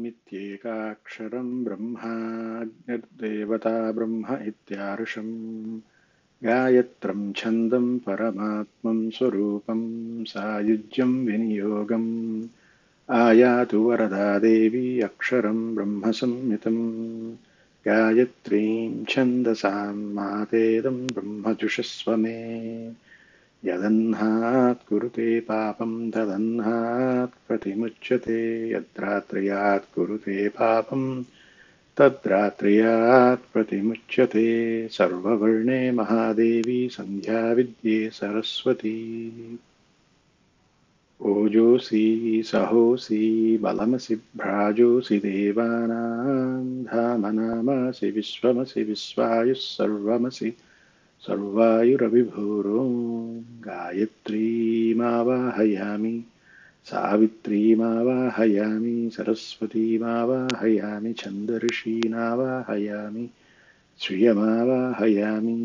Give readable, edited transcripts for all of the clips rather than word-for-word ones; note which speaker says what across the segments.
Speaker 1: ओमित्येकाक्षरं ब्रह्माग्निर्देवता ब्रह्म इत्यार्षम् गायत्रं छन्दं परमात्मं स्वरूपं सायुज्यं विनियोगम् आयातु वरदा देवी अक्षरं ब्रह्म संहितं गायत्रीं छन्दसां मातेदं ब्रह्म जुषस्व मे यदह्नात् कुरुते पापं तदह्नात् प्रतिमुच्यते यद्रात्र्यात् कुरुते पापं तद्रात्र्यात् प्रतिमुच्यते सर्ववर्णे महादेवी सन्ध्या विद्ये सरस्वती ओजोऽसि सहोऽसि बलमसि भ्राजोऽसि देवानां धामनामासि विश्वमसि विश्वायुः सर्वमसि सर्वायुरविभूरो गायत्रीमावाहयामि सावित्रीमावाहयामि सरस्वतीमावाहयामि छन्दऋषीणावाहयामि श्रियमावाहयामि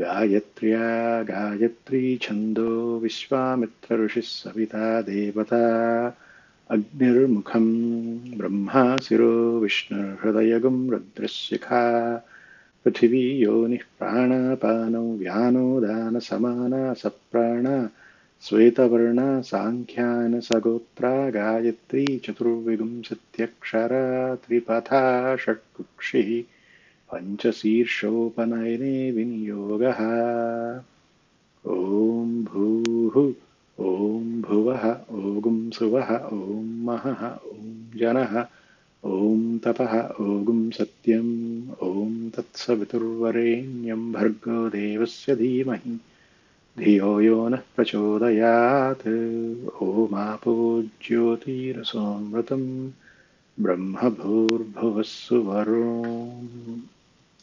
Speaker 1: गायत्र्या गायत्री छन्दो विश्वामित्रऋषिः सविता देवता अग्निर्मुखं ब्रह्मा शिरो विष्णुर्हृदयगुं रुद्रशिखा पृथिवी योनिः प्राणापानौ व्यानो दानसमाना सप्राणा श्वेतवर्णा साङ्ख्यानसगोत्रा गायत्री चतुर्विंशत्यक्षरा त्रिपथा षट्कुक्षिः पञ्चशीर्षोपनयने विनियोगः ॐ भूः ॐ भुवः ॐ सुवः ॐ महः ॐ जनः ॐ तपः ॐ सत्यम् ॐ तत्सवितुर्वरेण्यं भर्गो देवस्य धीमहि धियो यो नः प्रचोदयात् ॐ ज्योतिरसोऽमृतं ब्रह्म भूर्भुवः सुवरोम्